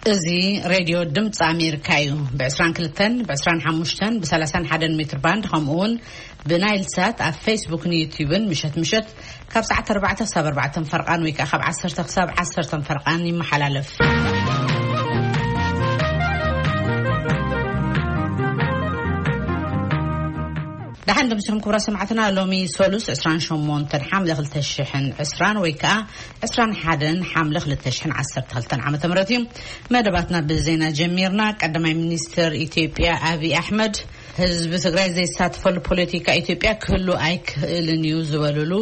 እዚ ሬድዮ ድምፂ ኣሜሪካ እዩ። ብ22፣ ብ25፣ ብ31 ሜትር ባንድ፣ ከምኡ እውን ብናይል ሳት ኣብ ፌስቡክን ዩቲዩብን ምሸት ምሸት ካብ ሰዓት ኣርባዕተ ክሳብ ኣርባዕተ ፈርቓን ወይ ከዓ ካብ ዓሰርተ ክሳብ ዓሰርተ ፈርቓን ይመሓላለፍ። ደሓን ድምፅኹም ክቡራ ሰማዕትና። ሎሚ ሶሉስ ዕስራን ሸሞንተን ሓምለ ክልተ ሽሕን ዕስራን ወይ ከዓ ዕስራን ሓደን ሓምለ ክልተ ሽሕን ዓሰርተ ክልተን ዓመተ ምህረት እዩ። መደባትና ብዜና ጀሚርና። ቀዳማይ ሚኒስትር ኢትዮጵያ ኣብይ ኣሕመድ፣ ህዝቢ ትግራይ ዘይሳተፈሉ ፖለቲካ ኢትዮጵያ ክህሉ ኣይክእልን እዩ ዝበሉሉ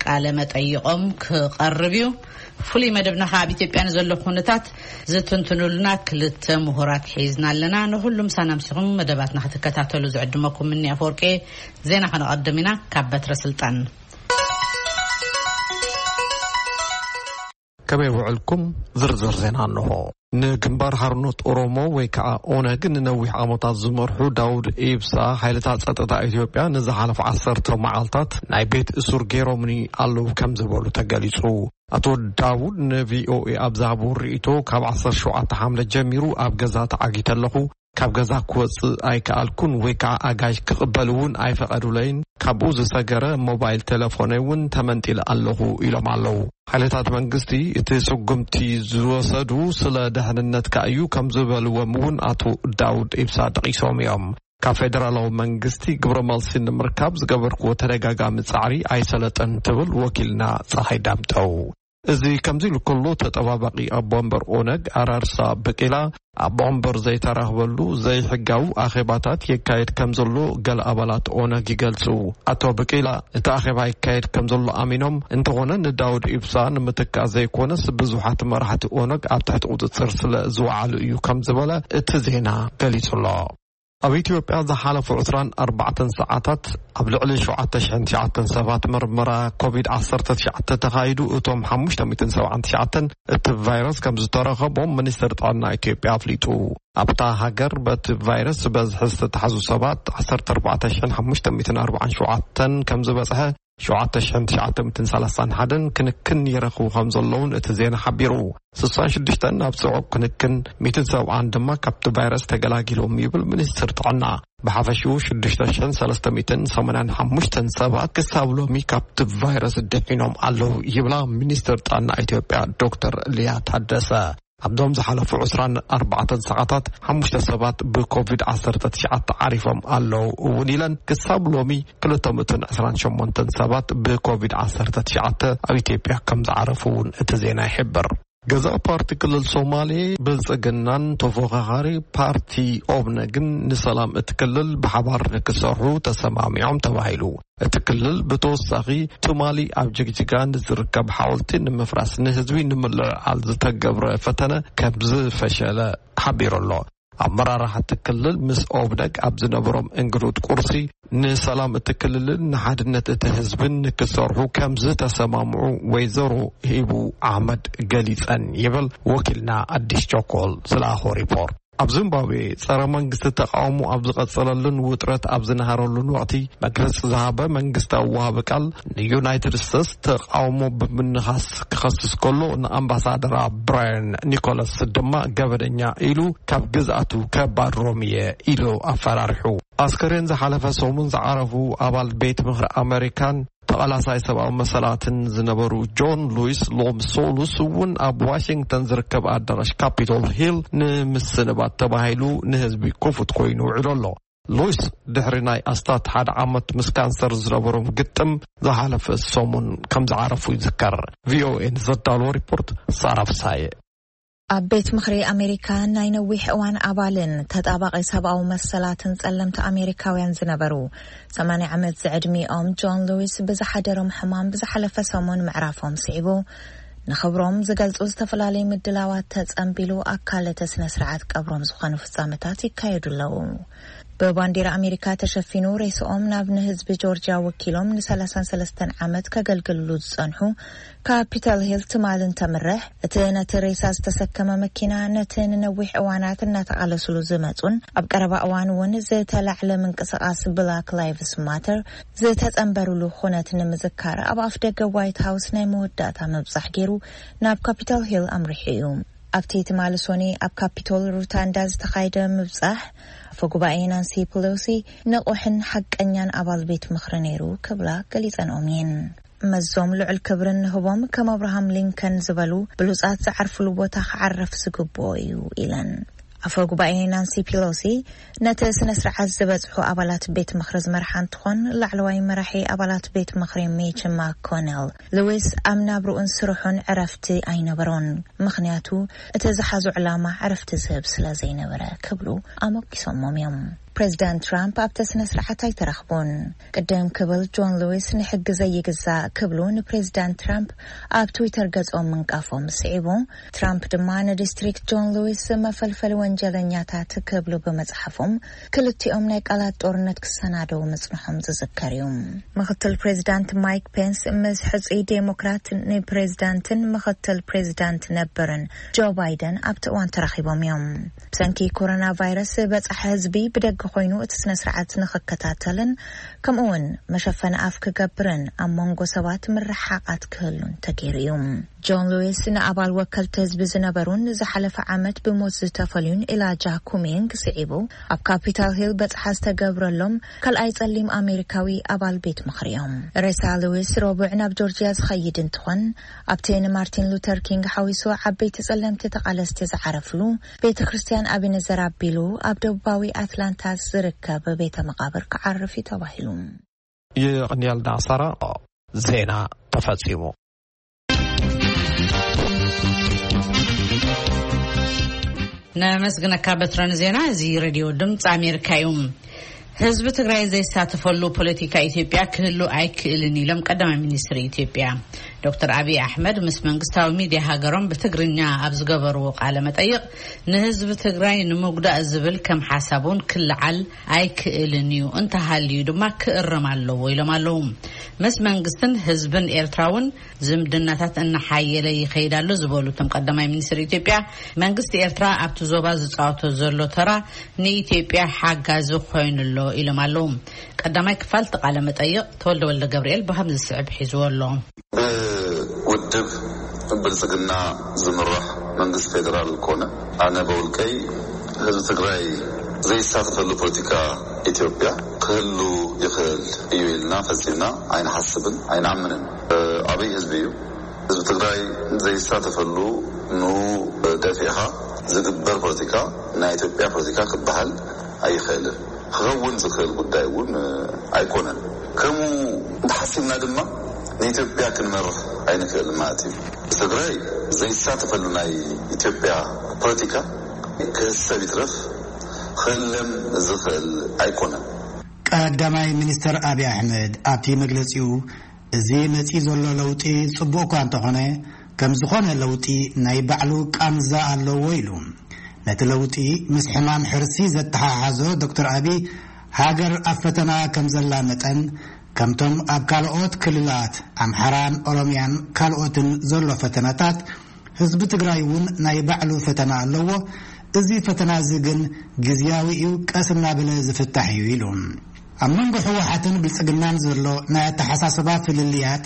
ቃለ መጠይቆም ክቐርብ እዩ። ፍሉይ መደብና ከዓ ኣብ ኢትዮጵያ ንዘሎ ኩነታት ዝትንትኑልና ክልተ ምሁራት ሒዝና ኣለና። ንኩሉ ምሳና ምሲኹም መደባትና ክትከታተሉ ዝዕድመኩም እኒ ኣፈወርቂ። ዜና ከነቐድም ኢና። ካብ በትረ ስልጣን። ከመይ ውዕልኩም? ዝርዝር ዜና እንሆ። ንግንባር ሓርነት ኦሮሞ ወይ ከዓ ኦነግ ንነዊሕ ዓመታት ዝመርሑ ዳውድ ኢብሳ፣ ሓይልታት ጸጥታ ኢትዮጵያ ንዝሓለፉ ዓሰርተ መዓልታት ናይ ቤት እሱር ገይሮምኒ ኣለዉ ከም ዝበሉ ተገሊጹ። ኣቶ ዳውድ ንቪኦኤ ኣብ ዝሃብዎ ርእይቶ፣ ካብ ዓሰርተ ሸውዓተ ሓምለ ጀሚሩ ኣብ ገዛ ተዓጊተ ኣለኹ፣ ካብ ገዛ ክወጽእ ኣይከኣልኩን ወይ ከዓ ኣጋይሽ ክቕበል እውን ኣይፈቐዱለይን፣ ካብኡ ዝሰገረ ሞባይል ቴሌፎነይ እውን ተመንጢለ ኣለኹ ኢሎም ኣለዉ። ሓይልታት መንግስቲ እቲ ስጉምቲ ዝወሰዱ ስለ ደሕንነትካ እዩ ከም ዝበልዎም እውን ኣቶ ዳውድ ኢብሳ ጠቒሶም እዮም። ካብ ፌደራላዊ መንግስቲ ግብረ መልሲ ንምርካብ ዝገበርክዎ ተደጋጋሚ ጻዕሪ ኣይሰለጠን ትብል ወኪልና ፀሓይ ዳምጠው። እዚ ከምዚ ኢሉ ከሎ፣ ተጠባባቂ ኣቦ ወንበር ኦነግ ኣራርሳ ብቂላ ኣቦ ወንበር ዘይተራኽበሉ ዘይሕጋዊ ኣኼባታት የካየድ ከም ዘሎ ገለ ኣባላት ኦነግ ይገልጹ። ኣቶ ብቂላ እቲ ኣኼባ ይካየድ ከም ዘሎ ኣሚኖም፣ እንተኾነ ንዳውድ ኢብሳ ንምትካእ ዘይኮነስ ብዙሓት መራሕቲ ኦነግ ኣብ ትሕቲ ቁጽጽር ስለ ዝወዓሉ እዩ ከም ዝበለ እቲ ዜና ገሊጹ ኣሎ። ኣብ ኢትዮጵያ ዝሓለፉ ዕስራን ኣርባዕተን ሰዓታት ኣብ ልዕሊ ሸውዓተ ሽሕን ትሽዓተን ሰባት ምርመራ ኮቪድ ዓሰርተ ትሽዓተ ተኻይዱ፣ እቶም ሓሙሽተ ሚእትን ሰብዓን ትሽዓተን እቲ ቫይረስ ከም ዝተረኸቦም ሚኒስትር ጥዕና ኢትዮጵያ ኣፍሊጡ። ኣብታ ሃገር በቲ ቫይረስ ብበዝሒ ዝተታሕዙ ሰባት ዓሰርተ ኣርባዕተ ሽሕን ሓሙሽተ ሚእትን ኣርባዓን ሸውዓተን ከም ዝበጽሐ፣ ሸውዓተ ሽሕን ትሽዓተ ሚእትን ሰላሳን ሓደን ክንክን ይረኽቡ ከም ዘለውን እቲ ዜና ሓቢሩ። ስሳን ሽዱሽተን ናብ ጽዑቕ ክንክን፣ ሚእትን ሰብዓን ድማ ካብቲ ቫይረስ ተገላጊሎም ይብል ሚኒስትር ጥዕና። ብሓፈሽኡ ሽዱሽተ ሽሕን ሰለስተ ሚእትን ሰማንያን ሓሙሽተን ሰባት ክሳብ ሎሚ ካብቲ ቫይረስ ድሒኖም ኣለዉ ይብላ ሚኒስትር ጥዕና ኢትዮጵያ ዶክተር ሊያ ታደሰ። ኣብዞም ዝሓለፉ ዕስራን ኣርባዕተን ሰዓታት ሓሙሽተ ሰባት ብኮቪድ ዓሰርተ ትሽዓተ ዓሪፎም ኣለዉ እውን ኢለን፣ ክሳብ ሎሚ ክልተ ሚእትን ዕስራን ሸሞንተን ሰባት ብኮቪድ ዓሰርተ ትሽዓተ ኣብ ኢትዮጵያ ከም ዝዓረፉ እውን እቲ ዜና ይሕብር። ገዛኢ ፓርቲ ክልል ሶማሌ ብልጽግናን ተፎኻኻሪ ፓርቲ ኦብነግን ንሰላም እቲ ክልል ብሓባር ንክሰርሑ ተሰማሚዖም ተባሂሉ። እቲ ክልል ብተወሳኺ ትማሊ ኣብ ጅግጅጋ ንዝርከብ ሓወልቲ ንምፍራስ ንህዝቢ ንምልዕዓል ዝተገብረ ፈተነ ከም ዝፈሸለ ሓቢሩ ኣሎ። ኣመራርሓ እቲ ክልል ምስ ኦብነግ ኣብ ዝነበሮም እንግዱድ ቁርሲ፣ ንሰላም እቲ ክልልን ንሓድነት እቲ ህዝብን ንክሰርሑ ከም ዝተሰማምዑ ወይዘሮ ሂቡ ኣሕመድ ገሊጸን ይብል ወኪልና ኣዲስ ቸኮል ዝለኣኾ ሪፖርት። ኣብ ዚምባብዌ ጸረ መንግስቲ ተቃውሞ ኣብ ዝቐጸለሉን ውጥረት ኣብ ዝነሃረሉን ወቕቲ፣ መግለጺ ዝሃበ መንግስታዊ ወሃቢ ቃል፣ ንዩናይትድ ስቴትስ ተቃውሞ ብምንኻስ ክኸስስ ከሎ፣ ንኣምባሳደራ ብራያን ኒኮላስ ድማ ገበነኛ ኢሉ ካብ ግዝኣቱ ከባርሮም እየ ኢሉ ኣፈራሪሑ። ኣስከሬን ዝሓለፈ ሰሙን ዝዓረፉ ኣባል ቤት ምኽሪ ኣመሪካን ተቓላሳይ ሰብኣዊ መሰላትን ዝነበሩ ጆን ሉዊስ ሎም ሶሉስ እውን ኣብ ዋሽንግተን ዝርከብ ኣዳራሽ ካፒቶል ሂል ንምስንባት ተባሂሉ ንህዝቢ ክፉት ኮይኑ ውዒሉ ኣሎ። ሉዊስ ድሕሪ ናይ ኣስታት ሓደ ዓመት ምስ ካንሰር ዝነበሮም ግጥም ዝሓለፈ ሰሙን ከም ዝዓረፉ ይዝከር። ቪኦኤ ንዘዳለዎ ሪፖርት ሳራ ፍሳየ። ኣብ ቤት ምኽሪ ኣሜሪካ ናይ ነዊሕ እዋን ኣባልን ተጣባቂ ሰብኣዊ መሰላትን ጸለምቲ ኣሜሪካውያን ዝነበሩ ሰማንያ ዓመት ዝዕድሚኦም ጆን ሉዊስ ብዝሓደሮም ሕማም ብዝሓለፈ ሰሙን ምዕራፎም ስዒቡ፣ ንኽብሮም ዝገልጹ ዝተፈላለዩ ምድላዋት ተጸንቢሉ ኣካል እቲ ስነ ስርዓት ቀብሮም ዝኾኑ ፍጻመታት ይካየዱ ኣለዉ። ብባንዲራ ኣሜሪካ ተሸፊኑ ሬስኦም ናብ ንህዝቢ ጆርጅያ ወኪሎም ን33 ዓመት ከገልግልሉ ዝጸንሑ ካፒታል ሂል ትማል እንተምርሕ፣ እቲ ነቲ ሬሳ ዝተሰከመ መኪና ነቲ ንነዊሕ እዋናት እናተቓለስሉ ዝመጹን ኣብ ቀረባ እዋን እውን ዝተላዕለ ምንቅስቓስ ብላክ ላይቭስ ማተር ዝተጸንበሩሉ ኩነት ንምዝካር ኣብ ኣፍ ደገ ዋይት ሃውስ ናይ መወዳእታ ምብጻሕ ገይሩ ናብ ካፒታል ሂል ኣምሪሑ እዩ። ኣብቲ ትማሊ ሶኒ ኣብ ካፒቶል ሩታንዳ ዝተኻየደ ምብጻሕ፣ ኣፈ ጉባኤ ናንሲ ፔሎሲ ንቑሕን ሓቀኛን ኣባል ቤት ምኽሪ ነይሩ ክብላ ገሊጸንኦም እየን። መዞም ልዑል ክብርን ንህቦም ከም ኣብርሃም ሊንከን ዝበሉ ብሉጻት ዝዓርፍሉ ቦታ ክዓርፍ ዝግብኦ እዩ ኢለን። ኣፈ ጉባኤ ናንሲ ፒሎሲ ነቲ ስነ ስርዓት ዝበጽሑ ኣባላት ቤት ምኽሪ ዝመርሓ እንትኾን፣ ላዕለዋይ መራሒ ኣባላት ቤት ምኽሪ ሚች ማኮነል፣ ሉዊስ ኣብ ናብርኡን ስርሑን ዕረፍቲ ኣይነበሮን፣ ምኽንያቱ እቲ ዝሓዞ ዕላማ ዕረፍቲ ዝህብ ስለ ዘይነበረ ክብሉ ኣሞጊሶሞም እዮም። ፕሬዚዳንት ትራምፕ ኣብቲ ስነ ስርዓት ኣይተረኽቡን። ቅድም ክብል ጆን ሉዊስ ንሕጊ ዘይግዛእ ክብሉ ንፕሬዚዳንት ትራምፕ ኣብ ትዊተር ገጾም ምንቃፎም ስዒቡ፣ ትራምፕ ድማ ንዲስትሪክት ጆን ሉዊስ መፈልፈሊ ወንጀለኛታት ክብሉ ብምጽሓፎም፣ ክልቲኦም ናይ ቃላት ጦርነት ክሰናደው ምጽንሖም ዝዝከር እዩ። ምኽትል ፕሬዚዳንት ማይክ ፔንስ ምስ ሕጹይ ዴሞክራት ንፕሬዚዳንትን ምኽትል ፕሬዚዳንት ነበርን ጆ ባይደን ኣብቲ እዋን ተራኺቦም እዮም። ብሰንኪ ኮሮና ቫይረስ በጻሒ ህዝቢ ብደገ ኮይኑ እቲ ስነ ስርዓት ንኽከታተልን ከምኡ እውን መሸፈኒ ኣፍ ክገብርን ኣብ መንጎ ሰባት ምርሓቓት ክህሉን ተገይሩ እዩ። ጆን ሉዊስ ንኣባል ወከልቲ ህዝቢ ዝነበሩን ዝሓለፈ ዓመት ብሞት ዝተፈልዩን ኢላጃ ኩሚንግ ስዒቡ ኣብ ካፒታል ሂል በጽሓ ዝተገብረሎም ካልኣይ ጸሊም ኣሜሪካዊ ኣባል ቤት ምኽሪ እዮም። ሬሳ ሉዊስ ረቡዕ ናብ ጆርጂያ ዝኸይድ እንትኾን፣ ኣብቲ ንማርቲን ሉተር ኪንግ ሓዊሱ ዓበይቲ ጸለምቲ ተቓለስቲ ዝዓረፍሉ ቤተ ክርስቲያን ኣቢነዘር ኣቢሉ ኣብ ደቡባዊ ኣትላንታ ዝርከብ ቤተ መቓብር ክዓርፍ እዩ ተባሂሉ። የቐንየልና ሳራ። ዜና ተፈጺሙ። ነመስግነካ በትረን ዜና። እዚ ሬድዮ ድምፂ ኣሜሪካ እዩ። ህዝቢ ትግራይ ዘይሳተፈሉ ፖለቲካ ኢትዮጵያ ክህሉ ኣይክእልን ኢሎም ቀዳማይ ሚኒስትር ኢትዮጵያ ዶክተር ኣብይ ኣሕመድ ምስ መንግስታዊ ሚድያ ሃገሮም ብትግርኛ ኣብ ዝገበርዎ ቃለ መጠይቕ፣ ንህዝቢ ትግራይ ንምጉዳእ ዝብል ከም ሓሳብ እውን ክለዓል ኣይክእልን እዩ፣ እንተሃልዩ ድማ ክእረም ኣለዎ ኢሎም ኣለዉ። ምስ መንግስትን ህዝብን ኤርትራ እውን ዝምድናታት እናሓየለ ይኸይድ ኣሎ ዝበሉ እቶም ቀዳማይ ሚኒስትር ኢትዮጵያ፣ መንግስቲ ኤርትራ ኣብቲ ዞባ ዝፃወቶ ዘሎ ተራ ንኢትዮጵያ ሓጋዚ ኮይኑ ኣሎ ኢሎም ኣለዉ። ቀዳማይ ክፋል እቲ ቃለ መጠይቕ ተወልደ ወልደ ገብርኤል ብከምዚ ዝስዕብ ሒዝዎ ኣሎ። ብውድብ ብልጽግና ዝምራሕ መንግስቲ ፌደራል ኮነ ኣነ በውልቀይ ህዝቢ ትግራይ ዘይሳተፈሉ ፖለቲካ ኢትዮጵያ ክህሉ ይኽእል እዩ ኢልና ፈጺምና ኣይንሓስብን ኣይንኣምንን። ኣብይ ህዝቢ እዩ። ህዝቢ ትግራይ ዘይሳተፈሉ ንኡ ደፊእኻ ዝግበር ፖለቲካ ናይ ኢትዮጵያ ፖለቲካ ክበሃል ኣይኽእልን። ክኸውን ዝኽእል ጉዳይ እውን ኣይኮነን። ከምኡ እንተሓሲብና ድማ ንኢትዮጵያ ክንመርሕ ኣይንኽእልን ማለት እዩ። ትግራይ ዘይሳተፈሉ ናይ ኢትዮጵያ ፖለቲካ ክህሰብ ይትረፍ ክእለም ዝኽእል ኣይኮነን። ቀዳማይ ሚኒስትር ኣብይ ኣሕመድ ኣብቲ መግለጺኡ፣ እዚ መጺኡ ዘሎ ለውጢ ጽቡቕ እኳ እንተኾነ፣ ከም ዝኾነ ለውጢ ናይ ባዕሉ ቃንዛ ኣለዎ ኢሉ። ነቲ ለውጢ ምስ ሕማም ሕርሲ ዘተሓሓዞ ዶክተር ኣብይ፣ ሃገር ኣብ ፈተና ከም ዘላ መጠን፣ ከምቶም ኣብ ካልኦት ክልላት ኣምሓራን ኦሮምያን ካልኦትን ዘሎ ፈተናታት፣ ህዝቢ ትግራይ እውን ናይ ባዕሉ ፈተና ኣለዎ። እዚ ፈተና እዚ ግን ግዝያዊ እዩ፣ ቀስ እናበለ ዝፍታሕ እዩ ኢሉ። ኣብ መንጎ ህወሓትን ብልጽግናን ዘሎ ናይ ኣተሓሳስባ ፍልልያት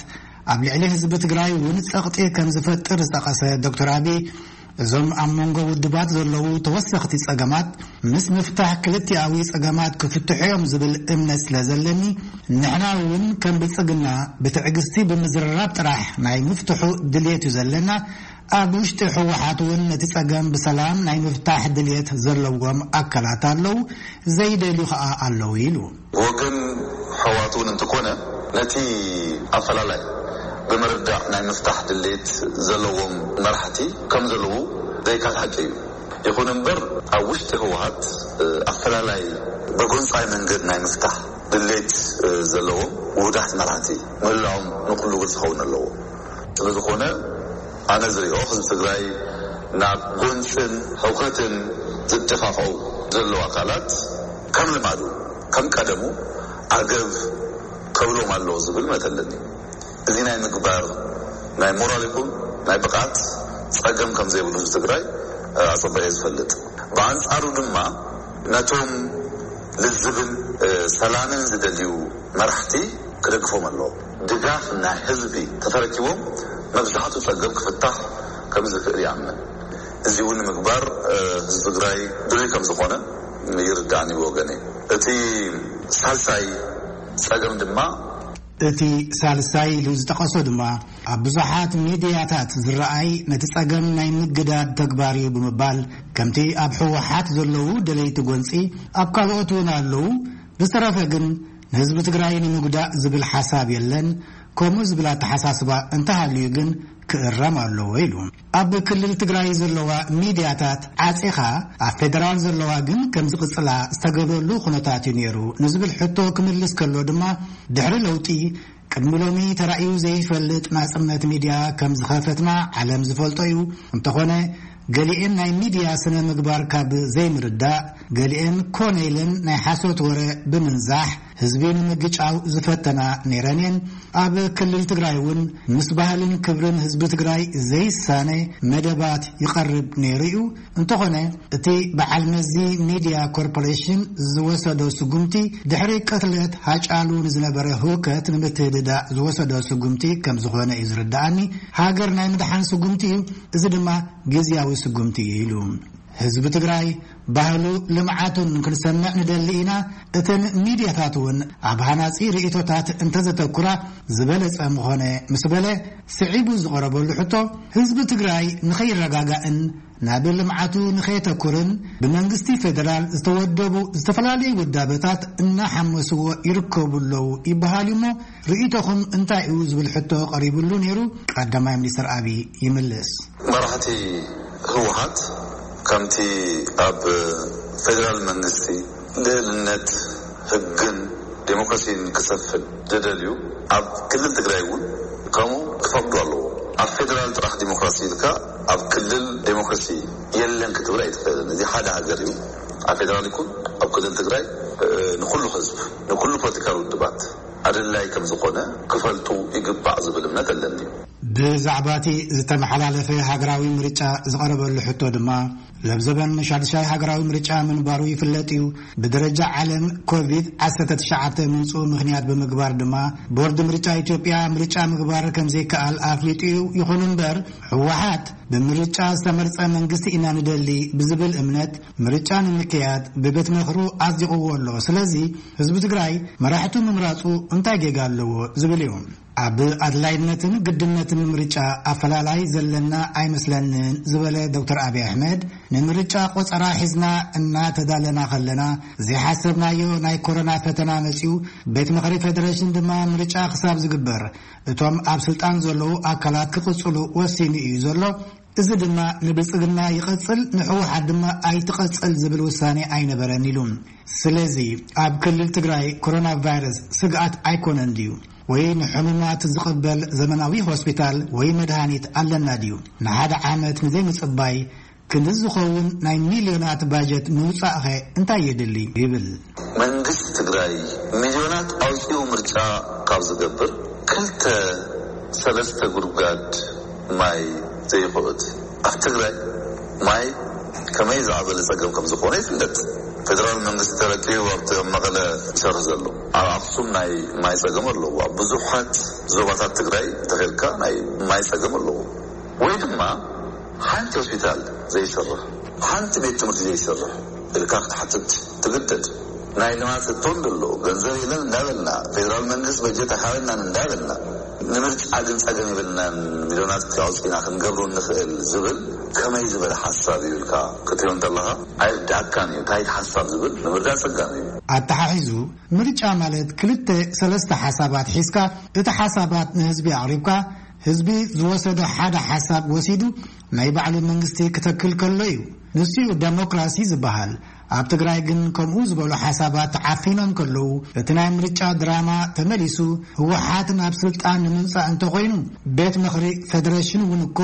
ኣብ ልዕሊ ህዝቢ ትግራይ እውን ጸቕጢ ከም ዝፈጥር ዝጠቐሰ ዶክተር ኣብይ፣ እዞም ኣብ መንጎ ውድባት ዘለዉ ተወሰኽቲ ጸገማት ምስ ምፍታሕ ክልቲኣዊ ጸገማት ክፍትሑ እዮም ዝብል እምነት ስለ ዘለኒ፣ ንሕና እውን ከም ብልጽግና ብትዕግስቲ ብምዝርራብ ጥራሕ ናይ ምፍትሑ ድልየት እዩ ዘለና። ኣብ ውሽጢ ህወሓት እውን ነቲ ጸገም ብሰላም ናይ ምፍታሕ ድልየት ዘለዎም ኣካላት ኣለዉ፣ ዘይደልዩ ኸኣ ኣለዉ ኢሉ። ብወገን ሕዋት እውን እንትኮነ ነቲ ኣፈላላይ ብምርዳእ ናይ ምፍታሕ ድሌት ዘለዎም መራሕቲ ከም ዘለዉ ዘይካል ሓቂ እዩ። ይኹን እምበር ኣብ ውሽጢ ህወሓት ኣፈላላይ ብጎንፃይ መንገድ ናይ ምፍታሕ ድሌት ዘለዎም ውሁዳት መራሕቲ ምህላዎም ንኩሉ ግልፂ ክኸውን ኣለዎ። ስለዝኾነ ኣነ ዝሪኦ ህዝቢ ትግራይ ናብ ጎንፅን ህውከትን ዝደፋፍዑ ዘለዉ ኣካላት ከም ልማዱ ከም ቀደሙ ዓገብ ከብሎም ኣለዎ ዝብል እምነት ኣለኒ። እዚ ናይ ምግባር ናይ ሞራል ይኹን ናይ ብቕዓት ፀገም ከም ዘይብሉ ህዝቢ ትግራይ ኣፀቢቐ እየ ዝፈልጥ። ብኣንፃሩ ድማ ነቶም ልዝብን ሰላምን ዝደልዩ መራሕቲ ክደግፎም ኣለዎም። ድጋፍ ናይ ህዝቢ ተተረኪቦም መብዛሕቱ ጸገም ክፍታሕ ከም ዝኽእል ይኣምን። እዚ እውን ንምግባር ህዝቢ ትግራይ ድልዩ ከም ዝኾነ ይርዳእኒ ብወገነ። እቲ ሳልሳይ ጸገም ድማ እቲ ሳልሳይ ኢሉ ዝጠቐሶ ድማ ኣብ ብዙሓት ሚድያታት ዝረኣይ ነቲ ጸገም ናይ ምግዳድ ተግባር እዩ ብምባል፣ ከምቲ ኣብ ህወሓት ዘለዉ ደለይቲ ጎንጺ ኣብ ካልኦት እውን ኣለዉ፣ ብዝተረፈ ግን ንህዝቢ ትግራይ ንምጉዳእ ዝብል ሓሳብ የለን። ከምኡ ዝብል ኣተሓሳስባ እንተሃልዩ ግን ክእረም ኣለዎ ኢሉ። ኣብ ክልል ትግራይ ዘለዋ ሚድያታት ዓጺኻ ኣብ ፌደራል ዘለዋ ግን ከም ዝቕጽላ ዝተገብረሉ ኩነታት እዩ ነይሩ ንዝብል ሕቶ ክምልስ ከሎ ድማ፣ ድሕሪ ለውጢ ቅድሚ ሎሚ ተራእዩ ዘይፈልጥ ናጽነት ሚድያ ከም ዝኸፈትና ዓለም ዝፈልጦ እዩ። እንተኾነ ገሊኤን ናይ ሚድያ ስነ ምግባር ካብ ዘይምርዳእ፣ ገሊኤን ኮነ ኢለን ናይ ሓሶት ወረ ብምንዛሕ ህዝቢ ንምግጫው ዝፈተና ነይረን እየን። ኣብ ክልል ትግራይ እውን ምስ ባህልን ክብርን ህዝቢ ትግራይ ዘይሳነ መደባት ይቐርብ ነይሩ እዩ። እንተኾነ እቲ በዓል መዚ ሚድያ ኮርፖሬሽን ዝወሰዶ ስጉምቲ፣ ድሕሪ ቅትለት ሃጫሉ ንዝነበረ ህውከት ንምትህድዳእ ዝወሰዶ ስጉምቲ ከም ዝኾነ እዩ ዝርዳኣኒ። ሃገር ናይ ምድሓን ስጉምቲ እዩ፣ እዚ ድማ ግዝያዊ ስጉምቲ እዩ ኢሉ። ህዝቢ ትግራይ ባህሉ ልምዓቱን ክንሰምዕ ንደሊ ኢና። እተን ሚድያታት እውን ኣብ ሃናጺ ርእይቶታት እንተዘተኩራ ዝበለጸ ምኾነ ምስ በለ፣ ስዒቡ ዝቐረበሉ ሕቶ፣ ህዝቢ ትግራይ ንኸይረጋጋእን ናብ ልምዓቱ ንኸየተኩርን ብመንግስቲ ፌደራል ዝተወደቡ ዝተፈላለዩ ውዳበታት እናሓመስዎ ይርከቡ ኣለዉ ይበሃል እሞ፣ ርእይቶኹም እንታይ እዩ ዝብል ሕቶ ቀሪቡሉ ነይሩ። ቀዳማይ ሚኒስትር ኣብይ ይምልስ። መራሕቲ ህወሓት ከምቲ ኣብ ፌደራል መንግስቲ ልዕልነት ህግን ዴሞክራሲን ክሰፍን ዝደልዩ፣ ኣብ ክልል ትግራይ እውን ከምኡ ክፈቅዱ ኣለዎ። ኣብ ፌደራል ጥራሕ ዴሞክራሲ ኢልካ ኣብ ክልል ዴሞክራሲ የለን ክትብል ኣይትኽእልን። እዚ ሓደ ሃገር እዩ። ኣብ ፌደራል ይኩን ኣብ ክልል ትግራይ፣ እ፣ ንኩሉ ህዝብ፣ ንኩሉ ፖለቲካዊ ውድባት ኣድላይ ከም ዝኾነ ክፈልጡ ይግባእ ዝብል እምነት ኣለኒ። ብዛዕባ እቲ ዝተመሓላለፈ ሃገራዊ ምርጫ ዝቐረበሉ ሕቶ ድማ፣ ለብዘበን ሻድሻይ ሃገራዊ ምርጫ ምንባሩ ይፍለጥ እዩ። ብደረጃ ዓለም ኮቪድ ዓሰርተ ትሽዓተ ምምፅኡ ምኽንያት ብምግባር ድማ፣ ቦርድ ምርጫ ኢትዮጵያ ምርጫ ምግባር ከም ዘይከኣል ኣፍሊጡ እዩ። ይኹን እምበር፣ ህወሓት ብምርጫ ዝተመርጸ መንግስቲ ኢና ንደሊ ብዝብል እምነት፣ ምርጫ ንምክያድ ብቤት ምኽሩ ኣጽዲቕዎ ኣሎ። ስለዚ ህዝቢ ትግራይ መራሕቱ ምምራጹ እንታይ ጌጋ ኣለዎ ዝብል እዩ። ኣብ ኣድላይነትን ግድነትን ምርጫ ኣፈላላይ ዘለና ኣይመስለንን ዝበለ ዶክተር ኣብይ ኣሕመድ፣ ንምርጫ ቆጸራ ሒዝና እናተዳለና ከለና፣ ዘይሓሰብናዮ ናይ ኮሮና ፈተና መጺኡ፣ ቤት ምኽሪ ፌደሬሽን ድማ ምርጫ ክሳብ ዝግበር እቶም ኣብ ስልጣን ዘለዉ ኣካላት ክቕጽሉ ወሲኑ እዩ ዘሎ። እዚ ድማ ንብልጽግና ይቐጽል፣ ንህወሓት ድማ ኣይትቐጽል ዝብል ውሳኔ ኣይነበረን ኢሉ። ስለዚ ኣብ ክልል ትግራይ ኮሮና ቫይረስ ስግኣት ኣይኮነን ድዩ? ወይ ንሕሙማት ዝቕበል ዘመናዊ ሆስፒታል ወይ መድሃኒት ኣለና ድዩ? ንሓደ ዓመት ንዘይምጽባይ ክንዲ ዝኸውን ናይ ሚልዮናት ባጀት ምውጻእኸ እንታይ የድሊ? ይብል። መንግስቲ ትግራይ ሚልዮናት ኣውፂኡ ምርጫ ካብ ዝገብር፣ ክልተ ሰለስተ ጉድጓድ ማይ ዘይኹዕት። ኣብ ትግራይ ማይ ከመይ ዝዓበለ ጸገም ከም ዝኾነ ይፍለጥ። ፌደራል መንግስቲ ተረኪቡ ኣብቲ ኣብ መቐለ ይሰርሕ ዘሎ። ኣብ ኣኽሱም ናይ ማይ ጸገም ኣለዎ። ኣብ ብዙሓት ዞባታት ትግራይ እንተኸድካ ናይ ማይ ጸገም ኣለዎ። ወይ ድማ ሓንቲ ሆስፒታል ዘይሰርሕ፣ ሓንቲ ቤት ትምህርቲ ዘይሰርሕ ኢልካ ክትሓትት ትግደድ። ናይ ልማት እቶ እንደሎ፣ ገንዘብ የለን እንዳበልና፣ ፌደራል መንግስት በጀት ኣይሃበናን እንዳበልና፣ ንምርጫ ግን ጸገም የብልናን፣ ሚልዮናት ኣውጺእና ክንገብሮ ንኽእል ዝብል ከመይ ዝበለ ሓሳብ እዩ ኢልካ ክትሪኦ እንተለኻ ኣይርድኣካን እዩ። እንታይ ሓሳብ ዝብል ንምርዳእ ጸጋሚ እዩ። ኣተሓሒዙ፣ ምርጫ ማለት ክልተ ሰለስተ ሓሳባት ሒዝካ፣ እቲ ሓሳባት ንህዝቢ ኣቕሪብካ፣ ህዝቢ ዝወሰዶ ሓደ ሓሳብ ወሲዱ ናይ ባዕሉ መንግስቲ ክተክል ከሎ እዩ። ንሱ እዩ ደሞክራሲ ዝበሃል። ኣብ ትግራይ ግን ከምኡ ዝበሉ ሓሳባት ተዓፊኖም ከለዉ፣ እቲ ናይ ምርጫ ድራማ ተመሊሱ ህወሓት ናብ ስልጣን ንምምጻእ እንተኾይኑ፣ ቤት ምኽሪ ፌደሬሽን እውን እኮ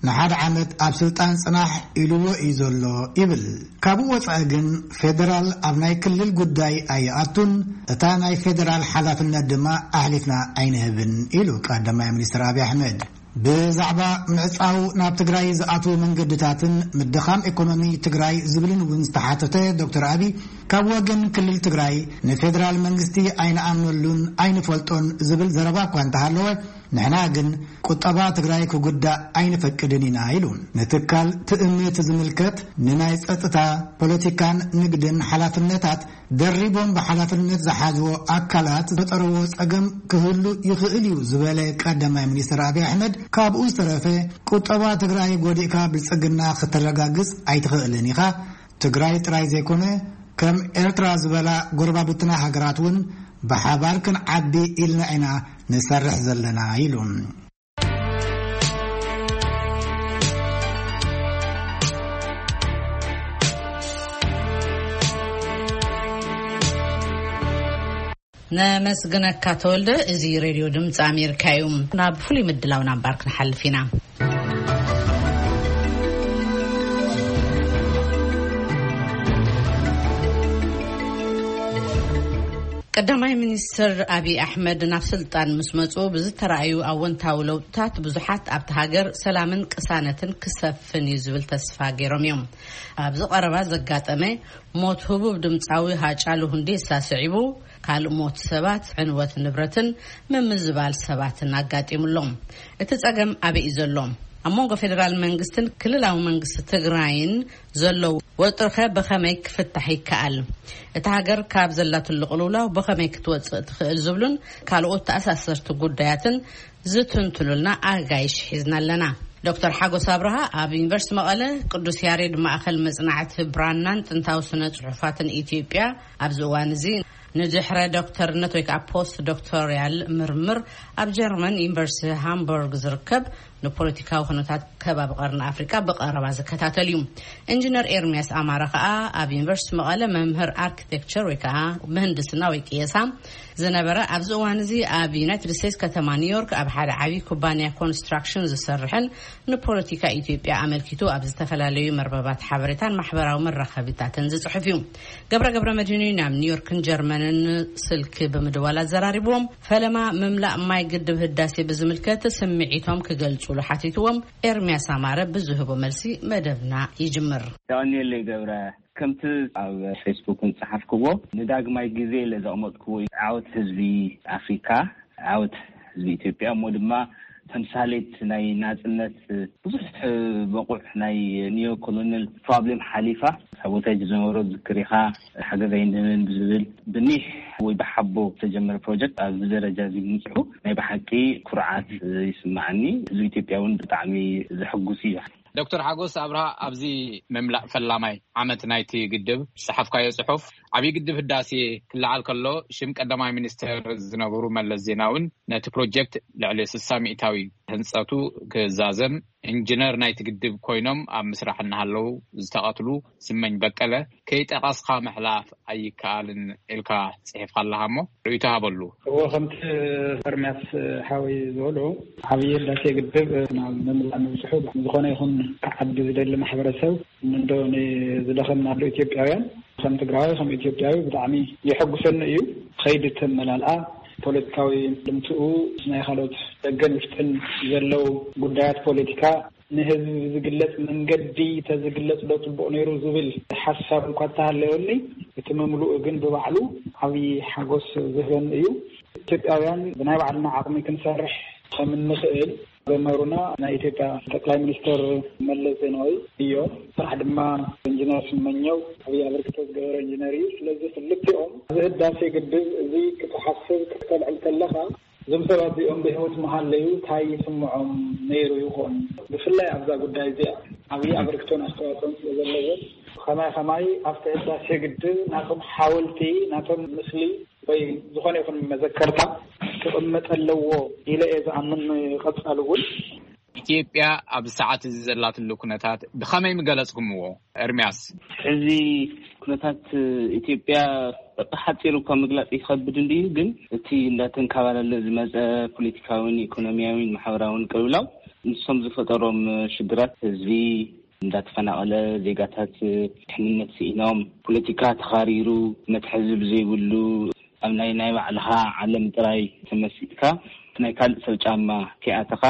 ንሓደ ዓመት ኣብ ስልጣን ጽናሕ ኢልዎ እዩ ዘሎ ይብል። ካብኡ ወጻኢ ግን ፌደራል ኣብ ናይ ክልል ጉዳይ ኣይኣቱን፣ እታ ናይ ፌደራል ሓላፍነት ድማ ኣሕሊፍና ኣይንህብን ኢሉ ቀዳማይ ሚኒስትር ኣብይ ኣሕመድ። ብዛዕባ ምዕጻው ናብ ትግራይ ዝኣትዉ መንገድታትን ምድኻም ኢኮኖሚ ትግራይ ዝብልን እውን ዝተሓተተ ዶክተር ኣብይ፣ ካብ ወገን ክልል ትግራይ ንፌደራል መንግስቲ ኣይንኣምነሉን ኣይንፈልጦን ዝብል ዘረባ እኳ እንተሃለወ፣ ንሕና ግን ቁጠባ ትግራይ ክጉዳእ ኣይንፈቅድን ኢና ኢሉ። ንትካል ትእምት ዝምልከት ንናይ ጸጥታ፣ ፖለቲካን ንግድን ሓላፍነታት ደሪቦም ብሓላፍነት ዝሓዝዎ ኣካላት ዝፈጠርዎ ጸገም ክህሉ ይኽእል እዩ ዝበለ ቀዳማይ ሚኒስትር ኣብይ ኣሕመድ፣ ካብኡ ዝተረፈ ቁጠባ ትግራይ ጎዲእካ ብልጽግና ክተረጋግጽ ኣይትኽእልን ኢኻ። ትግራይ ጥራይ ዘይኮነ ከም ኤርትራ ዝበላ ጎረባብትና ሃገራት እውን ብሓባር ክንዓቢ ኢልና ኢና ንሰርሕ ዘለና ኢሉ። ነመስግነካ ተወልደ። እዚ ሬድዮ ድምፂ ኣሜሪካ እዩ። ናብ ፍሉይ ምድላው ናምባር ክንሓልፍ ኢና። ቀዳማይ ሚኒስትር ኣብይ ኣሕመድ ናብ ስልጣን ምስ መፁ ብዝተረኣዩ ኣወንታዊ ለውጥታት ብዙሓት ኣብቲ ሃገር ሰላምን ቅሳነትን ክሰፍን እዩ ዝብል ተስፋ ገይሮም እዮም። ኣብዚ ቀረባ ዘጋጠመ ሞት ህቡብ ድምፃዊ ሃጫሉ ሁንዴሳ ስዒቡ ካልእ ሞት ሰባት፣ ዕንወት ንብረትን ምምዝባል ሰባትን ኣጋጢሙሎም። እቲ ጸገም ኣበይ እዩ ዘሎ? ኣብ መንጎ ፌደራል መንግስትን ክልላዊ መንግስቲ ትግራይን ዘሎ ወጥሪኸ ብኸመይ ክፍታሕ ይከኣል? እታ ሃገር ካብ ዘላትሉ ቅልውላው ብኸመይ ክትወጽእ ትኽእል ዝብሉን ካልኦት ተኣሳሰርቲ ጉዳያትን ዝትንትኑልና ኣጋይሽ ሒዝና ኣለና። ዶክተር ሓጎስ ኣብርሃ ኣብ ዩኒቨርሲቲ መቐለ ቅዱስ ያሬድ ማእኸል መጽናዕቲ ብራናን ጥንታዊ ስነ ጽሑፋትን ኢትዮጵያ ኣብዚ እዋን እዚ ንድሕረ ዶክተርነት ወይ ከዓ ፖስት ዶክቶሪያል ምርምር ኣብ ጀርመን ዩኒቨርሲቲ ሃምቡርግ ዝርከብ ንፖለቲካዊ ኩነታት ከባቢ ቀርኒ ኣፍሪቃ ብቐረባ ዝከታተል እዩ። ኢንጂነር ኤርሚያስ ኣማረ ከዓ ኣብ ዩኒቨርሲቲ መቐለ መምህር ኣርኪቴክቸር ወይ ከዓ ምህንድስና ወይ ቅየሳ ዝነበረ፣ ኣብዚ እዋን እዚ ኣብ ዩናይትድ ስቴትስ ከተማ ኒውዮርክ ኣብ ሓደ ዓብዪ ኩባንያ ኮንስትራክሽን ዝሰርሕን ንፖለቲካ ኢትዮጵያ ኣመልኪቱ ኣብ ዝተፈላለዩ መርበባት ሓበሬታን ማሕበራዊ መራኸቢታትን ዝጽሕፍ እዩ። ገብረ ገብረ መድህን እዩ ናብ ኒውዮርክን ጀርመንን ስልኪ ብምድዋል ኣዘራሪብዎም። ፈለማ ምምላእ ማይ ግድብ ህዳሴ ብዝምልከት ስምዒቶም ክገልጹሉ ሓቲትዎም። ኤርሚያስ ኣማረ ብዝህቦ መልሲ መደብና ይጅምር። የቐንየለይ ገብረ። ከምቲ ኣብ ፌስቡክ ዝጸሓፍክዎ፣ ንዳግማይ ግዜ ኢለ ዘቕመጥክዎ እዩ። ዓወት ህዝቢ ኣፍሪካ፣ ዓወት ህዝቢ ኢትዮጵያ፣ እሞ ድማ ተምሳሌት ናይ ናጽነት፣ ብዙሕ በቑዕ ናይ ኒዮ ኮሎኒያል ፕሮብሌም ሓሊፋ፣ ሳቦታጅ ዝነበሮ ዝክር ኢኻ፣ ሓገዝ ኣይንህብን ብዝብል ብኒሕ ወይ ብሓቦ ዝተጀመረ ፕሮጀክት ኣብዚ ደረጃ እዚ ምብፅሑ ናይ ብሓቂ ኩርዓት ይስማዓኒ። ህዝቢ ኢትዮጵያ እውን ብጣዕሚ ዘሐጉስ እዩ። ዶክተር ሓጎስ ኣብርሃ፣ ኣብዚ ምምላእ ፈላማይ ዓመት ናይቲ ግድብ ዝጸሓፍካዮ ጽሑፍ፣ ዓብዪ ግድብ ህዳሴ ክለዓል ከሎ ሽም ቀዳማይ ሚኒስትር ዝነበሩ መለስ ዜናውን ነቲ ፕሮጀክት ልዕሊ ስሳ ሚእታዊ ህንጸቱ ክዛዘም ኢንጂነር ናይቲ ግድብ ኮይኖም ኣብ ምስራሕ እናሃለዉ ዝተቐትሉ ስመኝ በቀለ ከይጠቐስካ ምሕላፍ ኣይከኣልን ኢልካ ጽሒፍካ ኣለኻ እሞ ርእይቶ ሃበሉ። እዎ፣ ከምቲ ኤርምያስ ሓወይ ዝበሎ፣ ዓብዪ ህዳሴ ግድብ ናብ ምምላእ ምብፅሑ ዝኾነ ይኹን ክዓቢ ዝደሊ ማሕበረሰብ፣ እንዶ ንዝደኸምናሉ ኢትዮጵያውያን፣ ከም ትግራዋይ፣ ከም ኢትዮጵያዊ ብጣዕሚ የሐጉሰኒ እዩ። ከይዲ ተመላልኣ፣ ፖለቲካዊ ልምትኡ፣ ናይ ካልኦት ደገን ውሽጥን ዘለዉ ጉዳያት ፖለቲካ ንህዝቢ ብዝግለጽ መንገዲ ተዝግለጽ ዶ ጽቡቕ ነይሩ ዝብል ሓሳብ እንኳ እንተሃለወኒ፣ እቲ ምምልኡ ግን ብባዕሉ ዓብዪ ሓጎስ ዝህበኒ እዩ። ኢትዮጵያውያን ብናይ ባዕልና ዓቕሚ ክንሰርሕ ከም እንኽእል ዘመሩና ናይ ኢትዮጵያ ጠቅላይ ሚኒስትር መለስ ዜናዊ እዮም። ስራሕ ድማ ኢንጂነር ስመኘው ዓብዪ ኣበርክቶ ዝገበረ ኢንጂነር እዩ። ስለዚ ክልቲኦም እዚ ህዳሴ ግድብ እዚ ክትሓስብ ክተልዕል ከለኻ፣ እዞም ሰባት እዚኦም ብህይወት መሃለዩ እንታይ ይስምዖም ነይሩ ይኾን? ብፍላይ ኣብዛ ጉዳይ እዚኣ ዓብዪ ኣበርክቶን ኣስተዋፅኦን ስለ ዘለዎም፣ ከማይ ከማይ ኣብቲ ህዳሴ ግድብ ናቶም ሓወልቲ፣ ናቶም ምስሊ ወይ ዝኾነ ይኹን መዘከርታ ክቕመጥ ኣለዎ ኢለ እየ ዝኣምን። ቀፃሊ እውን ኢትዮጵያ ኣብዚ ሰዓት እዚ ዘላትሉ ኩነታት ብኸመይ ምገለጽኩምዎ? ኤርምያስ። ሕዚ ኩነታት ኢትዮጵያ ብሓጺሩ እኳ ምግላጽ ይኸብድ እንድዩ፣ ግን እቲ እንዳተንካባለለ ዝመጸ ፖለቲካዊን ኢኮኖሚያዊን ማሕበራዊን ቅልውላው ንሶም ዝፈጠሮም ሽግራት፣ ህዝቢ እንዳተፈናቐለ፣ ዜጋታት ድሕንነት ስኢኖም፣ ፖለቲካ ተኻሪሩ፣ መትሓዚ ብዘይብሉ ኣብ ናይ ናይ ባዕልኻ ዓለም ጥራይ ተመሲጥካ ናይ ካልእ ሰብ ጫማ ከይኣተኻ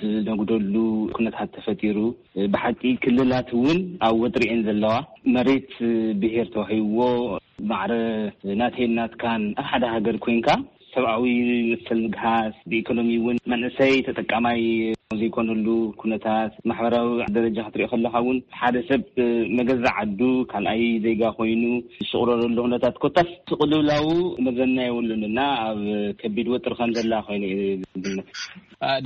ዝነጉደሉ ኩነታት ተፈጢሩ። ብሓቂ ክልላት እውን ኣብ ወጥሪ እየን ዘለዋ። መሬት ብሄር ተዋሂብዎ፣ ማዕረ ናተይን ናትካን ኣብ ሓደ ሃገር ኮይንካ ሰብኣዊ መሰል ምግሃስ፣ ብኢኮኖሚ እውን መንእሰይ ተጠቃማይ ዘይኮነሉ ኩነታት፣ ማሕበራዊ ደረጃ ክትሪኦ ከለኻ እውን ሓደ ሰብ መገዛእ ዓዱ ካልኣይ ዜጋ ኮይኑ ዝሽቕረረሉ ኩነታት ኮታስ ስቕልውላው መዘና የብሉን እና ኣብ ከቢድ ወጥሪ ከም ዘላ ኮይኑ እዩ ዝግመት።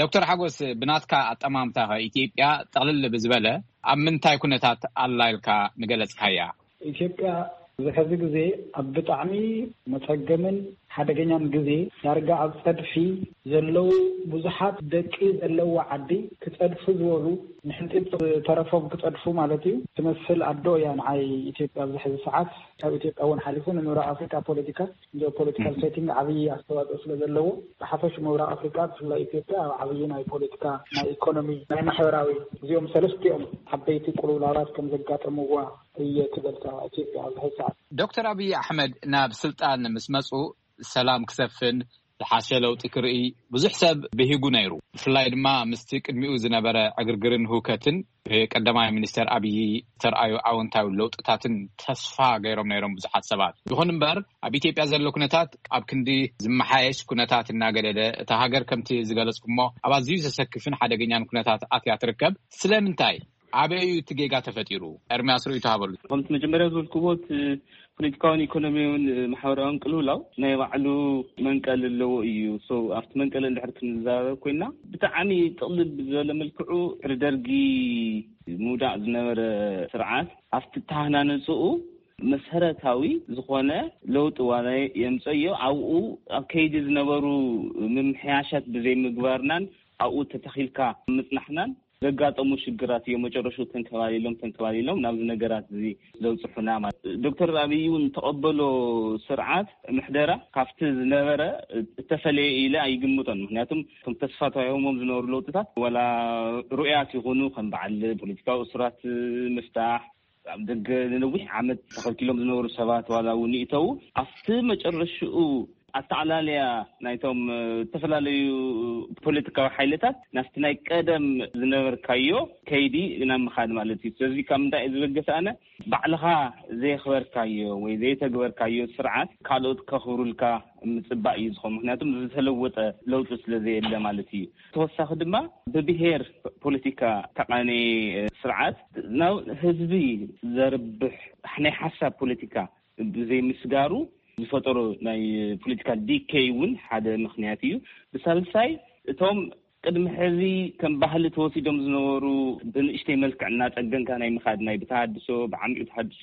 ዶክተር ሓጎስ፣ ብናትካ ኣጠማምታ ከ ኢትዮጵያ ጠቕልል ብዝበለ ኣብ ምንታይ ኩነታት ኣላ ኢልካ ምገለጽካያ? ኢትዮጵያ ኣብዚ ሕዚ ግዜ ኣብ ብጣዕሚ መጸገምን ሓደገኛን ግዜ፣ ዳርጋ ኣብ ጸድፊ ዘለዉ ብዙሓት ደቂ ዘለዋ ዓዲ፣ ክጸድፉ ዝበሉ፣ ንሕንጢጥ ተረፎም ክጸድፉ ማለት እዩ፣ ትመስል ኣዶ እያ ንዓይ ኢትዮጵያ ኣብዚ ሕዚ ሰዓት። ካብ ኢትዮጵያ እውን ሓሊፉ ንምብራቕ ኣፍሪካ ፖለቲካ ጂኦፖለቲካል ሴቲንግ ዓብዪ ኣስተዋፅኦ ስለ ዘለዎ፣ ብሓፈሽ ምብራቕ ኣፍሪካ ብፍላይ ኢትዮጵያ ኣብ ዓብዪ ናይ ፖለቲካ፣ ናይ ኢኮኖሚ፣ ናይ ማሕበራዊ፣ እዚኦም ሰለስቲኦም ዓበይቲ ቅልውላዋት ከም ዘጋጠምዋ እየ ትበልታ ኢትዮጵያ ኣብዚ ሕዚ ሰዓት። ዶክተር ኣብይ ኣሕመድ ናብ ስልጣን ምስ መፁ ሰላም ክሰፍን ዝሓሸ ለውጢ ክርኢ ብዙሕ ሰብ ብሂጉ ነይሩ። ብፍላይ ድማ ምስቲ ቅድሚኡ ዝነበረ ዕግርግርን ህውከትን ብቀዳማይ ሚኒስተር ኣብይ ዝተርኣዩ ኣወንታዊ ለውጥታትን ተስፋ ገይሮም ነይሮም ብዙሓት ሰባት። ይኹን እምበር ኣብ ኢትዮጵያ ዘሎ ኩነታት ኣብ ክንዲ ዝመሓየሽ ኩነታት እናገደደ እታ ሃገር ከምቲ ዝገለጽኩሞ ኣብ ኣዝዩ ዘሰክፍን ሓደገኛን ኩነታት ኣትያ ትርከብ። ስለምንታይ? ኣበይ እዩ እቲ ጌጋ ተፈጢሩ? ኤርምያስ ርእይቶ ሃበሉ። ከምቲ መጀመርያ ዝበልክዎ እቲ ፖለቲካውን ኢኮኖሚያውን ማሕበራውን ቅልውላው ናይ ባዕሉ መንቀል ኣለዎ እዩ። So ኣብቲ መንቀል እንድሕር ክንዛረብ ኮይና ብጣዕሚ ጥቕልል ብዝበለ መልክዑ ድሕሪ ደርጊ ምውዳቕ ዝነበረ ስርዓት ኣብቲ ተሃናነፅኡ መሰረታዊ ዝኾነ ለውጢ ዋላ የምፀዮ ኣብኡ ኣብ ከይዲ ዝነበሩ ምምሕያሻት ብዘይምግባርናን ኣብኡ ተተኺልካ ምፅናሕናን ዘጋጠሙ ሽግራት እዮም መጨረሹ ተንከባሊሎም ተንከባሊሎም ናብዚ ነገራት እዚ ዘብፅሑና ማለት። ዶክተር ኣብይ እውን ተቐበሎ ስርዓት ምሕደራ ካብቲ ዝነበረ እተፈለየ ኢለ ኣይግምቶን። ምክንያቱም እቶም ተስፋ ተዋሂቦሞም ዝነበሩ ለውጥታት ዋላ ሩእያት ይኹኑ ከም በዓል ፖለቲካዊ እሱራት ምፍታሕ ኣብ ደገ ንነዊሕ ዓመት ተኸልኪሎም ዝነበሩ ሰባት ዋላ እውን ይእተዉ ኣብቲ መጨረሽኡ ኣተዓላልያ ናይቶም ዝተፈላለዩ ፖለቲካዊ ሓይልታት ናብቲ ናይ ቀደም ዝነበርካዮ ከይዲ ናብ ምኻድ ማለት እዩ። ስለዚ ካብ ምንታይ እየ ዝበገስ ኣነ ባዕልኻ ዘየኽበርካዮ ወይ ዘይተግበርካዮ ስርዓት ካልኦት ከኽብሩልካ ምጽባእ እዩ ዝኾን። ምክንያቱም ዝተለወጠ ለውጢ ስለ ዘየለ ማለት እዩ። ተወሳኺ ድማ ብብሄር ፖለቲካ ተቃነየ ስርዓት ናብ ህዝቢ ዘርብሕ ናይ ሓሳብ ፖለቲካ ብዘይምስጋሩ ዝፈጠሮ ናይ ፖለቲካል ዲኬይ እውን ሓደ ምክንያት እዩ። ብሳልሳይ እቶም ቅድሚ ሕዚ ከም ባህሊ ተወሲዶም ዝነበሩ ብንእሽተይ መልክዕ እናፀገንካ ናይ ምኻድ ናይ ብተሃድሶ ብዓሚኡ ተሃድሶ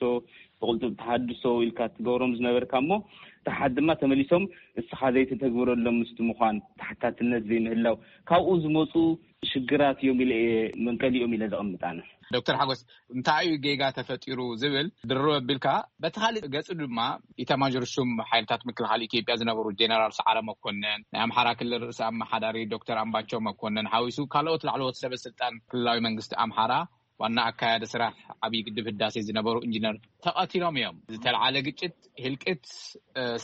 ብቕልጡብ ተሃድሶ ኢልካ ትገብሮም ዝነበርካ እሞ ተሓት ድማ ተመሊሶም እስኻ ዘይተተግብረሎም ምስቲ ምዃን ተሓታትነት ዘይምህላው ካብኡ ዝመፁ ሽግራት እዮም ኢለ እየ መንቀሊኦም ኢለ ዘቐምጣነ። ዶክተር ሓጎስ እንታይ እዩ ጌጋ ተፈጢሩ ዝብል ድርብ ኣቢልካ በቲ ካልእ ገጹ ድማ ኢታማዦር ሹም ሓይልታት ምክልኻል ኢትዮጵያ ዝነበሩ ጀነራል ሰዓረ መኮንን ናይ ኣምሓራ ክልል ርእሰ ኣመሓዳሪ ዶክተር ኣምባቸው መኮንን ሓዊሱ ካልኦት ላዕለዎት ሰበ ስልጣን ክልላዊ መንግስቲ ኣምሓራ ዋና ኣካያዲ ስራሕ ዓብዪ ግድብ ህዳሴ ዝነበሩ ኢንጂነር ተቐቲሎም እዮም። ዝተልዓለ ግጭት ህልቅት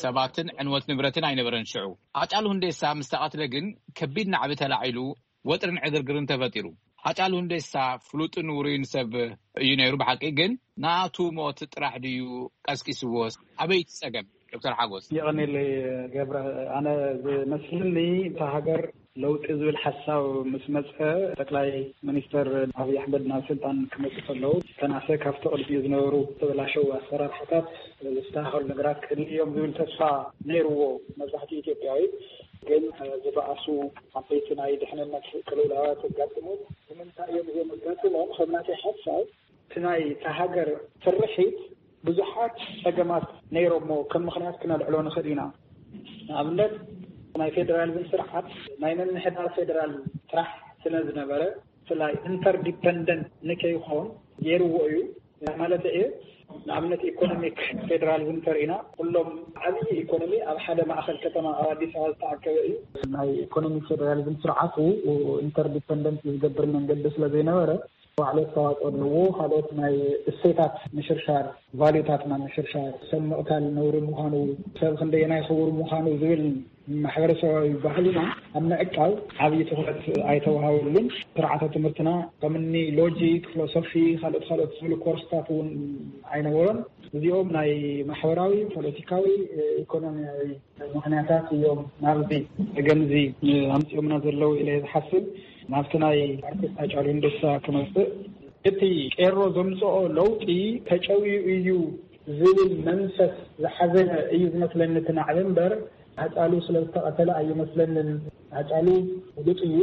ሰባትን ዕንወት ንብረትን ኣይነበረን። ሽዑ ኣጫሉ ሁንዴሳ ምስ ተቐትለ ግን ከቢድ ናዕቢ ተላዒሉ ወጥርን ዕግርግርን ተፈጢሩ። ሃጫሉ ሁንዴሳ ፍሉጥን ውሩይን ሰብ እዩ ነይሩ ብሓቂ። ግን ናቱ ሞት ጥራሕ ድዩ ቀስቂስዎ? ኣበይ እቲ ጸገም? ዶክተር ሓጎስ። የቐኔለይ ገብረ፣ ኣነ ዝመስልኒ እታ ሃገር ለውጢ ዝብል ሓሳብ ምስ መፀ ጠቅላይ ሚኒስተር ኣብይ ኣሕመድ ናብ ስልጣን ክመፁ ከለዉ ተናሰ ካብቲ ቅድሚኡ ዝነበሩ ተበላሸው ኣሰራርሓታት ዝተካከሉ ነገራት ክህልዩ እዮም ዝብል ተስፋ ነይርዎ መብዛሕትኡ ኢትዮጵያዊ። ግን ዝበኣሱ ዓበይቲ ናይ ድሕንነት ቅልውላዋት ኣጋጥሞም። ንምንታይ እዮም እዚኦም ኣጋጥሞም? ከም ናተይ ሓሳብ እቲ ናይ እታ ሃገር ስርሒት ብዙሓት ጸገማት ነይሮሞ ከም ምኽንያት ክነልዕሎ ንኽእል ኢና። ንኣብነት ናይ ፌደራሊዝም ስርዓት ናይ ምምሕዳር ፌደራል ጥራሕ ስለ ዝነበረ ብፍላይ ኢንተርዲፐንደንት ንከይኾን ገይርዎ እዩ። ማለት እየ ንኣብነት ኢኮኖሚክ ፌደራሊዝም ተርኢና ኩሎም ዓብዪ ኢኮኖሚ ኣብ ሓደ ማእኸል ከተማ ኣብ ኣዲስ ኣበባ ዝተኣከበ እዩ። ናይ ኢኮኖሚክ ፌደራሊዝም ስርዓቱ ኢንተርዲፐንደንት ዝገብር መንገዲ ስለ ዘይነበረ ባዕሉ ኣስተዋፅኦ ኣለዎ። ካልኦት ናይ እሴታት ምሽርሻር፣ ቫልዩታትና ምሽርሻር፣ ሰብ ምቕታል ነውሪ ምዃኑ፣ ሰብ ክንደየናይ ክቡር ምዃኑ ዝብል ማሕበረሰባዊ ባህልና ኣብ ምዕቃብ ዓብዪ ትኹረት ኣይተዋሃበሉን። ስርዓተ ትምህርትና ከምኒ ሎጂክ፣ ፊሎሶፊ፣ ካልኦት ካልኦት ዝብሉ ኮርስታት እውን ኣይነበሮን። እዚኦም ናይ ማሕበራዊ፣ ፖለቲካዊ፣ ኢኮኖሚያዊ ምኽንያታት እዮም ናብዚ ገምዚ ኣምፅኦምና ዘለዉ ኢለ ዝሓስብ። ናብቲ ናይ ኣርቲስት ሃጫሉ ሁንዴሳ ክመፅእ፣ እቲ ቄሮ ዘምፅኦ ለውጢ ተጨውዩ እዩ ዝብል መንፈስ ዝሓዘ እዩ ዝመስለኒ እቲ ናዕቢ እምበር፣ ሃጫሉ ስለ ዝተቐተለ ኣይመስለንን። ሃጫሉ ብሉፅ እዩ፣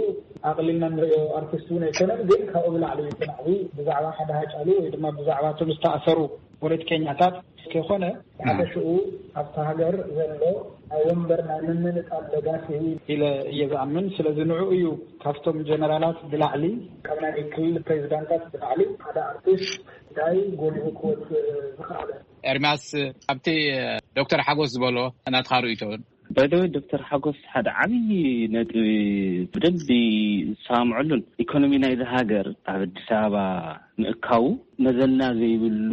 ኣቕሊልና ንሪኦ ኣርቲስት እውን ኣይኮነን። ግን ካብኡ ብላዕሊ እዩ እቲ ናዕቢ ብዛዕባ ሓደ ሃጫሉ ወይ ድማ ብዛዕባ እቶም ዝተኣሰሩ ፖለቲከኛታት ከይኮነ፣ ብሓፈሽኡ ኣብታ ሃገር ዘሎ ናይ ወንበር ናይ ምምንጣል ደጋፊ ኢለ እየ ዝኣምን። ስለዚ ንዕኡ እዩ ካብቶም ጀነራላት ብላዕሊ፣ ካብ ናይ ክልል ፕሬዚዳንታት ብላዕሊ ሓደ ኣርቲስት እንታይ ጎሊሁ ክወፅእ ዝኸኣለ? ኤርሚያስ፣ ኣብቲ ዶክተር ሓጎስ ዝበሎ ናትኻ ርእይቶ? ባይደወይ ዶክተር ሓጎስ ሓደ ዓብዪ ነጥቢ ብደንቢ ዝሰማምዐሉን፣ ኢኮኖሚ ናይዚ ሃገር ኣብ ኣዲስ ኣበባ ምእካቡ መዘና ዘይብሉ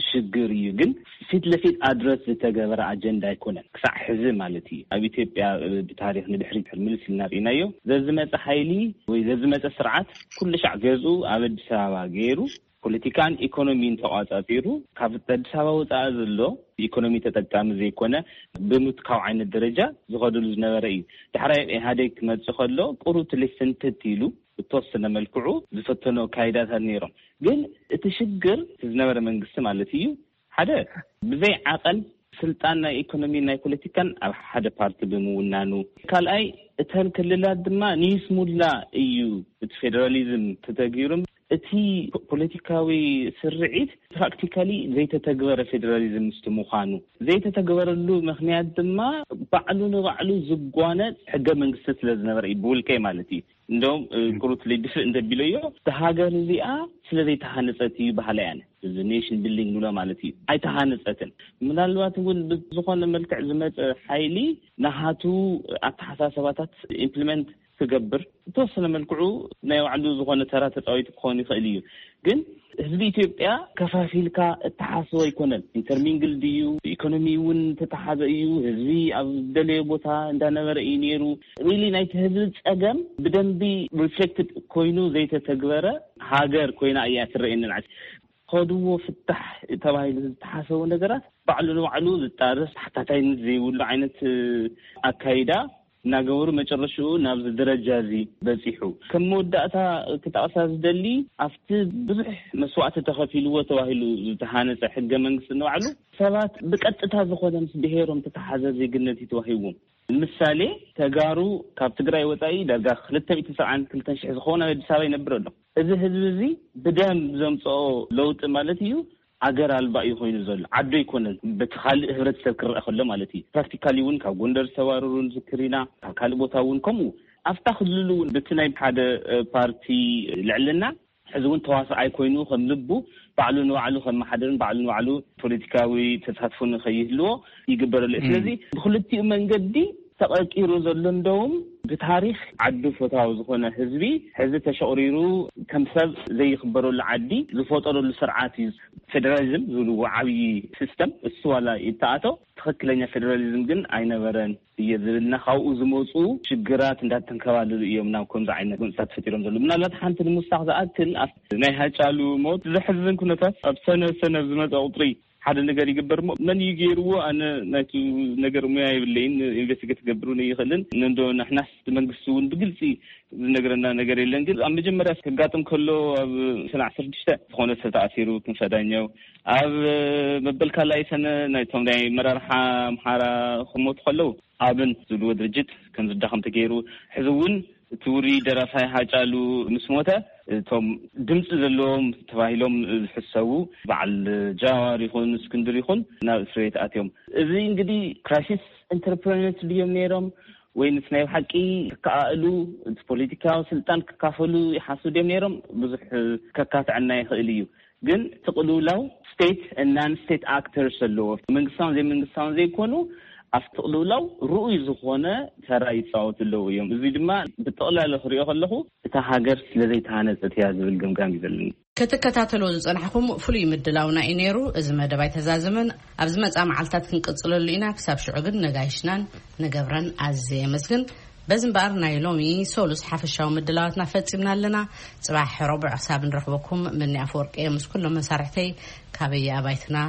ሽግር እዩ። ግን ፊት ለፊት ኣድረስ ዝተገበረ ኣጀንዳ ኣይኮነን ክሳዕ ሕዚ ማለት እዩ። ኣብ ኢትዮጵያ ብታሪክ ንድሕሪት ምልስ ኢልና ርኢናዮ። ዘዝመፀ ሓይሊ ወይ ዘዝመፀ ስርዓት ኩሉ ሻዕ ገዝኡ ኣብ ኣዲስ ኣበባ ገይሩ ፖለቲካን ኢኮኖሚን ተቋፃፂሩ ካብ ኣዲስ ኣበባ ወፃኢ ዘሎ ኢኮኖሚ ተጠቃሚ ዘይኮነ ብምትካው ዓይነት ደረጃ ዝኸደሉ ዝነበረ እዩ። ዳሕራይ ኢህኣዴግ ክመፅእ ከሎ ቁሩብ ትልፍንትት ኢሉ ብተወሰነ መልክዑ ዝፈተኖ ኣካይዳታት ነይሮም። ግን እቲ ሽግር እቲ ዝነበረ መንግስቲ ማለት እዩ ሓደ ብዘይ ዓቐን ስልጣን ናይ ኢኮኖሚ ናይ ፖለቲካን ኣብ ሓደ ፓርቲ ብምውናኑ፣ ካልኣይ እተን ክልላት ድማ ንይስሙላ እዩ እቲ ፌደራሊዝም ተተግቢሩ። እቲ ፖለቲካዊ ስርዒት ፕራክቲካሊ ዘይተተግበረ ፌደራሊዝም ምስቲ ምዃኑ፣ ዘይተተግበረሉ ምክንያት ድማ ባዕሉ ንባዕሉ ዝጓነፅ ሕገ መንግስቲ ስለ ዝነበረ እዩ፣ ብውልቀይ ማለት እዩ። እንደውም ቁሩት ልድፍእ እንተቢለዮ፣ እታ ሃገር እዚኣ ስለ ዘይተሃነፀት እዩ በሃላ እየ ኣነ። እዚ ኔሽን ቢልዲንግ ንብሎ ማለት እዩ። ኣይተሃነፀትን። ምናልባት እውን ብዝኾነ መልክዕ ዝመፀ ሓይሊ ናሃቱ ኣተሓሳሰባታት ኢምፕሊመንት ክገብር፣ ብተወሰነ መልክዑ ናይ ባዕሉ ዝኾነ ተራ ተፃዊቱ ክኾን ይኽእል እዩ። ግን ህዝቢ ኢትዮጵያ ከፋፊልካ እተሓስቦ ኣይኮነን። ኢንተርሚንግል ድዩ፣ ኢኮኖሚ እውን ተተሓዘ እዩ። ህዝቢ ኣብ ደለዮ ቦታ እንዳነበረ እዩ ነይሩ። ሪሊ ናይቲ ህዝቢ ፀገም ብደንቢ ሪፍሌክትድ ኮይኑ ዘይተተግበረ ሃገር ኮይና እያ ትረኤኒ። ንዓይ ከድዎ ፍታሕ ተባሂሉ ዝተሓሰቡ ነገራት ባዕሉ ንባዕሉ ዝጣርስ፣ ተሓታታይነት ዘይብሉ ዓይነት ኣካይዳ እናገበሩ መጨረሽኡ ናብዚ ደረጃ እዚ በፂሑ። ከም መወዳእታ ክጠቕሳ ዝደሊ፣ ኣብቲ ብዙሕ መስዋእቲ ተኸፊልዎ ተባሂሉ ዝተሃነፀ ሕገ መንግስቲ ንባዕሉ ሰባት ብቀጥታ ዝኾነ ምስ ብሄሮም ተተሓዘ ዜግነት እዩ ተዋሂዎም። ንምሳሌ፣ ተጋሩ ካብ ትግራይ ወፃኢ ዳርጋ ክልተ ሚእቲ ሰብዓን ክልተን ሽሕ ዝኸውን ኣብ ኣዲስ ኣበባ ይነብር ኣሎ። እዚ ህዝቢ እዚ ብደም ዘምፅኦ ለውጢ ማለት እዩ ኣገር ኣልባ እዩ ኮይኑ ዘሎ፣ ዓዱ ኣይኮነን። በቲ ካልእ ህብረተሰብ ክረአ ከሎ ማለት እዩ። ፕራክቲካሊ እውን ካብ ጎንደር ዝተባረሩ ንዝክር ኢና፣ ካብ ካልእ ቦታ እውን ከምኡ። ኣብታ ክልል እውን በቲ ናይ ሓደ ፓርቲ ልዕልና ሕዚ እውን ተዋስኣይ ኮይኑ ከም ልቡ ባዕሉ ንባዕሉ ከመሓደርን ባዕሉ ንባዕሉ ፖለቲካዊ ተሳትፎ ንኸይህልዎ ይግበረሉ እዩ። ስለዚ ብክልቲኡ መንገዲ ተቐቂሩ ዘሎ እንደውም ብታሪክ ዓዱ ፈታዊ ዝኾነ ህዝቢ ሕዚ ተሸቕሪሩ ከም ሰብ ዘይኽበረሉ ዓዲ ዝፈጠረሉ ስርዓት እዩ። ፌደራሊዝም ዝብልዎ ዓብዪ ሲስተም እሱ ዋላ ይተኣቶ ትኽክለኛ ፌደራሊዝም ግን ኣይነበረን እየ ዝብልና ካብኡ ዝመፁ ሽግራት እንዳተንከባለሉ እዮም ናብ ከምዚ ዓይነት ጎንፅታት ፈጢሮም ዘለዉ። ምናልባት ሓንቲ ንምውሳኽ ዝኣክል ኣብ ናይ ሃጫሉ ሞት ዘሕዝን ኩነታት ኣብ ሰነ ሰነ ዝመፀ ቁፅሪ ሓደ ነገር ይግበር እሞ መን እዩ ገይርዎ? ኣነ ናይቲ ነገር ሙያ የብለይን፣ ኢንቨስቲጌት ክገብር እውን ኣይኽእልን። እንዶ ንሕናስ መንግስቲ እውን ብግልፂ ዝነግረና ነገር የለን። ግን ኣብ መጀመርያ ከጋጥም ከሎ ኣብ ሰነ ዓሰርተ ሽዱሽተ ዝኾነ ሰብ ተኣሲሩ ክንፈዳኛው ኣብ መበል ካልኣይ ሰነ ናይቶም ናይ መራርሓ ኣምሓራ ክሞቱ ከለዉ ኣብን ዝብልዎ ድርጅት ከም ዝዳኸም ተገይሩ። ሕዚ እውን እቲ ውሩይ ደራፋይ ሃጫሉ ምስ ሞተ እቶም ድምፂ ዘለዎም ተባሂሎም ዝሕሰቡ በዓል ጃዋር ይኹን እስክንድር ይኹን ናብ እስር ቤት ኣትዮም። እዚ እንግዲህ ክራይሲስ ኢንተርፕረነርስ ድዮም ነይሮም ወይንስ ናይ ብሓቂ ክከኣእሉ እቲ ፖለቲካዊ ስልጣን ክካፈሉ ይሓስቡ ድዮም ነይሮም ብዙሕ ከካትዐና ይኽእል እዩ። ግን ትቕልውላው ስቴት ናን ስቴት ኣክተርስ ኣለዎ። መንግስታውን ዘይመንግስታውን ዘይኮኑ ኣብ ትቕልውላው ርኡይ ዝኾነ ተራ ይፃወቱ ኣለዉ እዮም። እዚ ድማ ብጠቕላላ ክሪኦ ከለኹ እታ ሃገር ስለ ዘይተሃነፀት እያ ዝብል ገምጋም እዩ ዘለኒ። ክትከታተልዎ ዝጸናሕኩም ፍሉይ ምድላውና እዩ ነይሩ። እዚ መደብ ኣይተዛዘመን። ኣብ ዝመጻ መዓልታት ክንቅጽለሉ ኢና። ክሳብ ሽዑ ግን ነጋይሽናን ንገብረን ኣዝየ የመስግን። በዚ እምበኣር ናይ ሎሚ ሶሉስ ሓፈሻዊ ምድላዋትና ፈጺምና ኣለና። ጽባሕ ረቡዕ ክሳብ ንረኽበኩም ምኒ ኣፈወርቂ እየ ምስ ኩሎም መሳርሕተይ ካበየ ኣባይትና